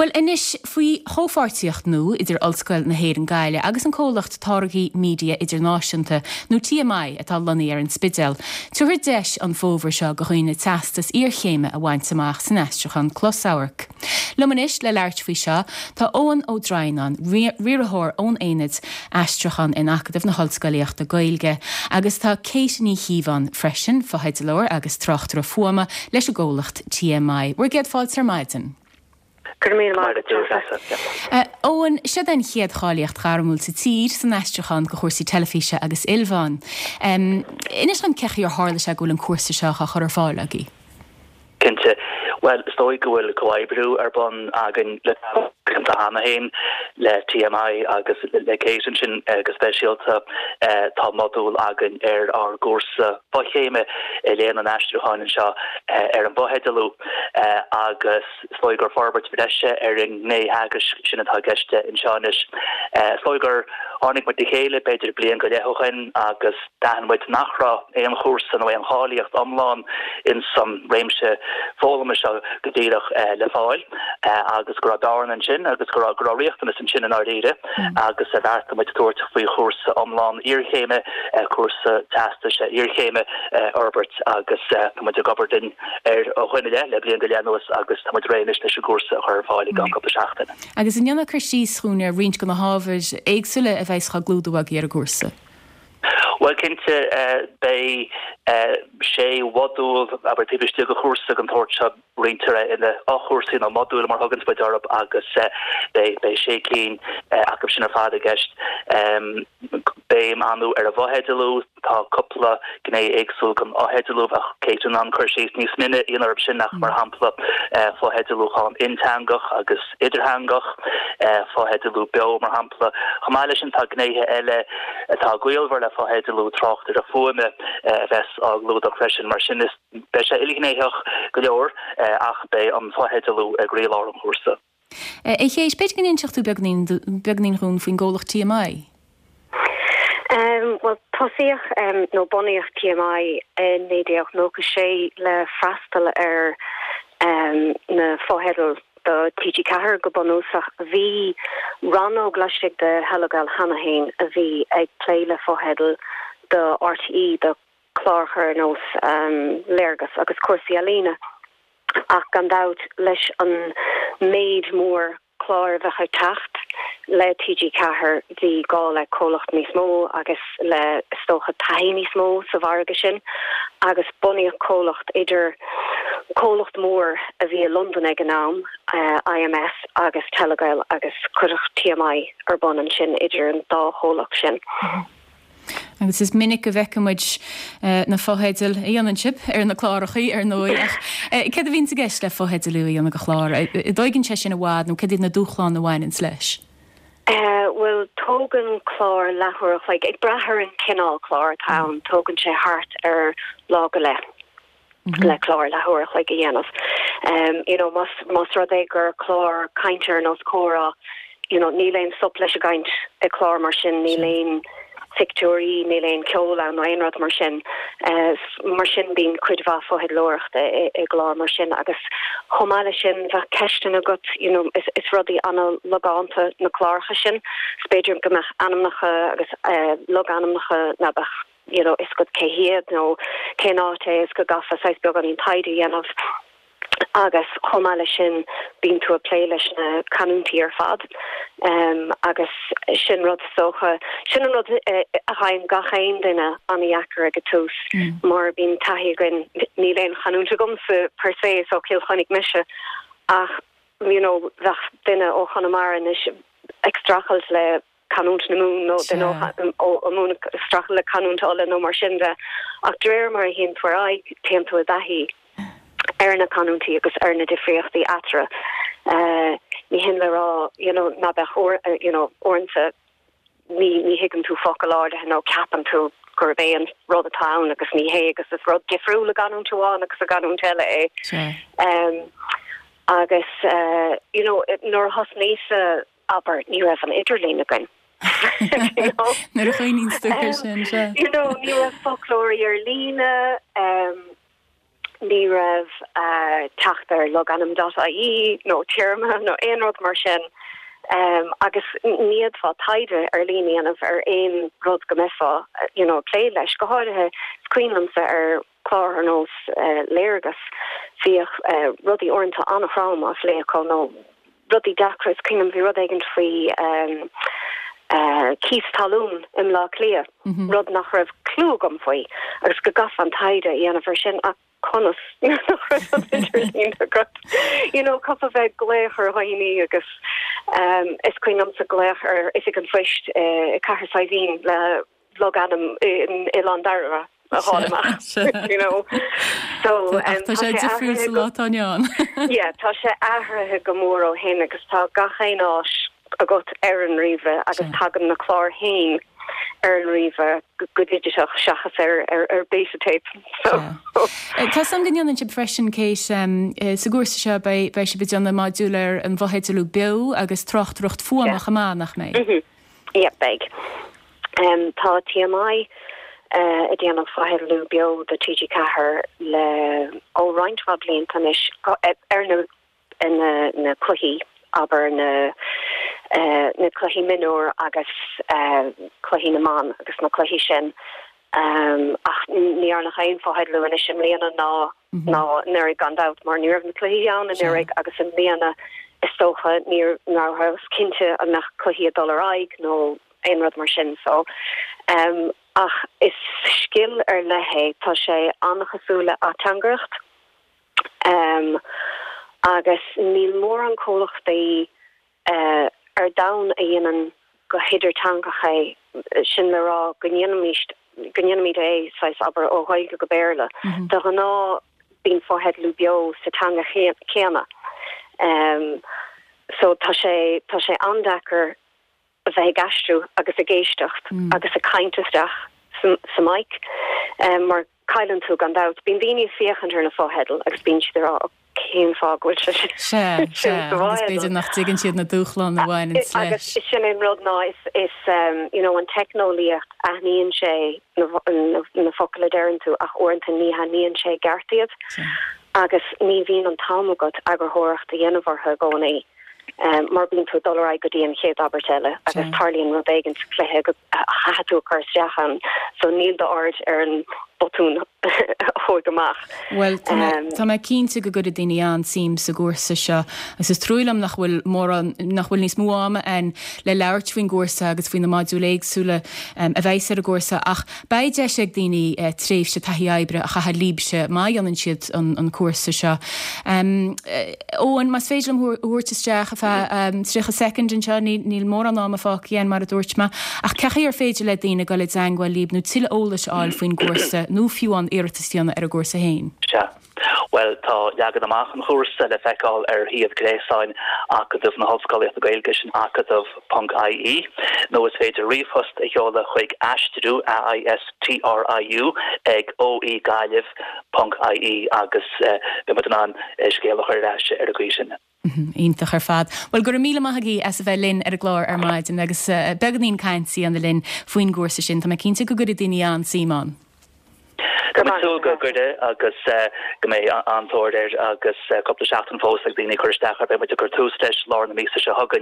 Bhuel anois, faoi chomhpháirtíocht nua idir Ollscoil na hÉireann Gaillimh agus an comhlacht Táirgí Media Idirnáisiúnta, nó TMI, atá lonnaithe ar an Spidéal, tabharfar deis an fómhar seo do dhaoine teastas iarchéime a bhaint amach san aistriúchán closamhairc. Liom anois le labhairt faoi seo tá Eoghan Ó Droighneáin, riarthóir ón Aonad Aistriúchán in Acadamh na hOllscolaíochta Gaeilge, agus tá Kate Ní Chíobháin freisin, fotheidealóir agus tráchtaire fuaime leis an gcomhlacht TMI. Bhur gcéad fáilte ar maidin. Go raibh míle maith agat, Treasa. Eoghan, seod é an chéad cháilíocht ghairmiúil sa tír san aistriúchán do chúrsaí teilifíse agus ilmheán. Inis dom cé chaoi ar tharla sé go bhfuil an cúrsa seo á chur ar fáil agaibh? Cinnte. Bhuel, is dóigh go bhfuil comhoibriú ar bun againn le blianta cheana féin le TMI agus le Kate ansin go speisialta. Tá modúl againn ar ár gcúrsa fochéime i Léann an Aistriúcháin anseo ar an bhfotheidealú agus is dóigh gur forbairt bhreise ar an ngné theagaisc sin atá i gceist anseo anois. Is dóigh gur tháinig muid le chéile b'fhéidir bliain go leith ó shin agus d'aithin muid nach raibh aon chúrsa nó aon cháilíocht iomlán ins an réimse foghlama seo go díreach le fáil agus go raibh bearna ansin agus go raibh go raibh riachtanas ansin i ndáiríre agus bheartaigh muid tabhairt faoi chúrsa iomlán iarchéime, cúrsa teastais iarchéime a fhorbairt agus tá muid ag obair linn air ó shin i leith le bliain go leith anuas agus tá muid réidh anois leis an gcúrsa a chur ar fáil i gceann cúpla seachtain. Agus an ndéanfá cur síos dhúinn ar roinnt de na hábhair éagsúla a bheas á gclúdú agaibh ar an gcúrsa? Bhuel, cinnte, beidh sé mhodúl, abair, taobh istigh de chúrsa den tsórt seo, roinntear é ina fhochúrsaí nó modúil mar a thuganns muid orthu agus beidh sé cinn acu sin ar fad i gceist. Béim an-mhór ar an bhfotheidealú, tá cúpla gné éagsúil den fhotheidealú, bheadh Kate in ann cur síos níos mine a dhéanamh orthu sin ach mar shampla fotheidealúchán inteangach agus idirtheangach, fotheidealú beo mar shampla. Chomh maith leis sin tá gnéithe eile atá gaolmhar le fotheidealú, tráchtaireacht fuaime a bheas á gclúdach freisin. Mar sin is beidh sé ilghnéitheach go leor ach beidh an fotheidealú i gcroílár an chúrsa. A Kate, b'fhéidir go n-inseodh tú beagáinín dhúinn faoin gcomhlacht TMI? Bhuel, tosaíodh nó bunaíodh TMI i 1996 le freastal ar na fotheidil do TG4 go bunúsach. Bhí rannóg laistigh de Thelegael cheana féin a bhí ag plé le fotheidil do RTÉ, do chláracha ar nós Léargas agus cúrsaí ealaíne ach gan dabht leis an méid mór clár a bheadh ag teacht le TG4 bhí gá le comhlacht níos mó agus le is dócha taithí níos mó sa mhargadh sin agus bunaíodh comhlacht idir comhlacht mór a bhí i Londain ag an am, IMS, agus Telegael agus cuireadh TMI ar bun ansin idir an dá chomhlacht sin. Agus is minic go bhfeiceann muid na fotheidil a dhéanann sibh ar na clárachaí, ar ndóigh, ach céard a bhíonns i gceist le fotheidealú a dhéanamh do chlár? An dtóigeann sé sin i bhfad nó céard iad na dúshláin a bhaineanns leis? Bhuel, tógann clár leathuair a chloig, ag brath ar an cineál clár atá ann, tógann sé thart ar lá go leith le clár leathuair a chloig a dhéanamh. You know, más, más rud é gur clár cainte ar nós Comhrá, you know, níl aon stop leis an gcaint i gclár mar sin, níl aon phictiúirí, níl aon cheol ann nó aon rud mar sin. Mar sin bíonn cuid mhaith fotheidealóireachta i gclár mar sin agus chomh maith leis sin bheadh ceisteanna agat, you know, is, is rudaí an-logánta na cláracha sin, is b'fhéidir go mbeadh ainmneacha agus logainmneacha ná beadh you know, fhios agat cé hiad nó cén áit é is go gcaithfeá saghas beagáinín taighde a dhéanamh agus chomh maith leis sin bíonn tú ag plé leis na canúintí ar fad agus sin rud is dócha, sin an rud a fhaigheann gach aon duine an-dheacair ag an tús mar bíonn taithí againn, níl aon chanúint agamsa per se is ó Chill Chainnigh mise ach you know bheadh duine ó Chonamara anois ag streachailt le canúint na Mumhan nó duine ó Mhumhain ag streachailt le canúint Uladh nó mar sin de. Ach de réir mar a théann tú ar aghaidh, téann tú i dtaithí ar na canúintí agus ar na difríochtaí eatarthu. Ní hin le rá you know ná beadh uair you know uaireanta ní ní thuigeann tú focal áirithe nó ceapann tú gurb é an rud atá ann agus ní hé agus is rud difriúil i gcanúint amháin agus i gcanúint eile é. Agus you know nuair a thosnaíos-sa abair, ní raibh an idirlíon againn. You know? Nuair a chuimhníonns tú air sin, sea. You know, ní raibh foclóirí ar líne, um, Ní raibh teacht ar logainm dot ie nó téarma nó aon rud mar sin agus ní fhéadfá taighde ar líne a dhéanamh ar aon rud go mbeifeá you know ag plé leis. Go háirithe, is cuimhin liomsa ar chlár ar nós Léargas, bhíodh rudaí uaireanta an-throm á phlé acu nó rudaí deacra, is cuimhin liom bhí rud éigin faoi cíos talún i mBleá Cliath, rud nach raibh clue agam faoi agus go gcaithfeá an taighde a dhéanamh ar sin ach conas nuair nach raibh an idirlíon agat? You know, chaithfeá bheith ag glaoch ar dhaoine agus is cuimhin liomsa glaoch ar Oifig an Phoist i Cathair Saidhbhín le logainm in Oileán Dairbhre a fháil amach, you know. So, um, tá sé difriúil sa lá atá inniu ann. Yeah, tá sé athraithe go mór ó shin agus tá gach aon áis agat ar an ríomhaire agus tagann na cláir féin ar an ríomhaire go digiteach seachas ar ar ar beta tape. So. Tá 's agam go ndéanann sibh freisin, Kate, sa gcúrsa seo beidh beidh sibh ag déanamh modúl ar an bhfotheidealú beo agus tráchtaireacht fuaime chomh maith, nach mbeidh? Yep, beidh. Tá TMI ag déanamh fotheidealú beo do TG4 le ó roinnt mhaith blianta anois ar na na cluichí, abair na na cluichí mionúr agus cluichí na mban agus na cluichí sin. Ach ní dhearnadh aon fotheidealú anois i mbliana ná ná anuraidh gan dabht mar ní raibh na cluichí ann anuraidh agus i mbliana is dócha ní rabhthas cinnte an mbeadh cluichí ag dul ar aghaidh nó aon rud mar sin so ach is scil ar leith é, tá sé an-chosúil le ateangaireacht agus níl mórán comhlachtaí ar domhan a dhéanann go hidirteangach é, sin le rá go ndéanaimid, go ndéanaimid é, saghas, abair, ó Ghaeilge go Béarla. De ghnáth bíonn fotheidealú beo sa teanga chéanna. So tá sé, tá sé an-deacair a bheith ag aistriú agus ag éisteacht agus ag caint isteach sa mic mar cailleann tú gan dabht. Bíonn daoine ag féachaint ar na fotheidil agus bíonn siad ag rá cén fáth go bhfuil sé sin Sea, sea, agus b'fhéidir nach dtuigeann siad na dúshláin a bhaineann leis. Agus sin an rud ná is, is you know an teicneolaíocht aithníonn sé na, na, na focail a deireann tú ach uaireanta ní aithníonn sé i gceart iad agus ní bhíonn an t-am agat eagarthóireacht a dhéanamh orthu i gcónaí. mar bíonn tú ag dul ar aghaidh go dtí an chéad abairt eile agus tarlaíonn rud éigin sa chluiche go a chaithfidh tú a chur isteach ann so níl d'aird ar an botún a chuaigh amach. Bhuel, tá mé, tá mé cinnte go gcuirfidh daoine an-suim sa gcúrsa seo agus is trua liom nach bhfuil mórán, nach bhfuil níos mó ama againn le labhairt faoin gcúrsa agus faoi na modúil éagsúla a bheas ar an gcúrsa ach Beidh deis ag daoine tréimhse taithí oibre a chaitheamh libhse má dhéanann siad an cúrsa seo. Eoin, más féidir liom thú a thabhairt isteach ar feadh 30 soicind anseo, níl mórán ama fágtha againn mar a dúirt mé, ach cén chaoi ar féidir le daoine dul i dteangmháil libh nó tuilleadh eolais a fháil faoin gcúrsa nó fiú amháin iarratas a dhéanamh ar an gcúrsa féin? Sea. Bhuel, tá leagan amach an chúrsa le feiceáil ar shuíomh gréasáin Acadamh na hOllscolaíochta Gaeilge, sin acadamh ponc ie, nó is féidir ríomhphost a sheoladh chuig aistriú, A-I-S-T-R-I-U, ag OE Gaillimh ponc ie agus beidh muid in ann scéal a chur ar ais ar an gcaoi sin. Iontach ar fad. Bhuel, go raibh míle maith agaibh as a bheith linn ar an gclár ar maidin agus beagáinín cainte a dhéanamh linn faoin gcúrsa sin. Tá mé cinnte go gcuirfidh daoine an-suim ann. Tá mé ag súil go gcuirfidh agus go mbeidh an-tóir air agus cúpla seachtain fós ag daoine cur isteach air. Beidh muid ag cur tús leis lár na míosa seo chugainn.